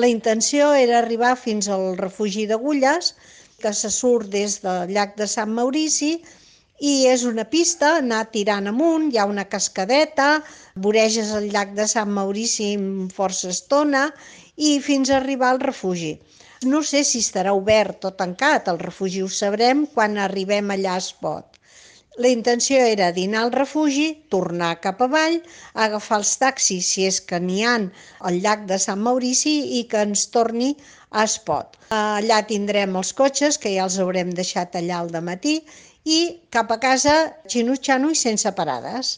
La intenció era arribar fins al refugi d'Agulles, que se surt des del llac de Sant Maurici, i és una pista, anar tirant amunt, hi ha una cascadeta, voreges el llac de Sant Maurici amb força estona i fins a arribar al refugi. No sé si estarà obert o tancat, el refugi ho sabrem quan arribem allà a Espot. La intenció era dinar al refugi, tornar cap avall, agafar els taxis, si és que n'hi ha, al llac de Sant Maurici i que ens torni a Espot. Allà tindrem els cotxes, que ja els haurem deixat allà al dematí, i cap a casa xinutxano i sense parades.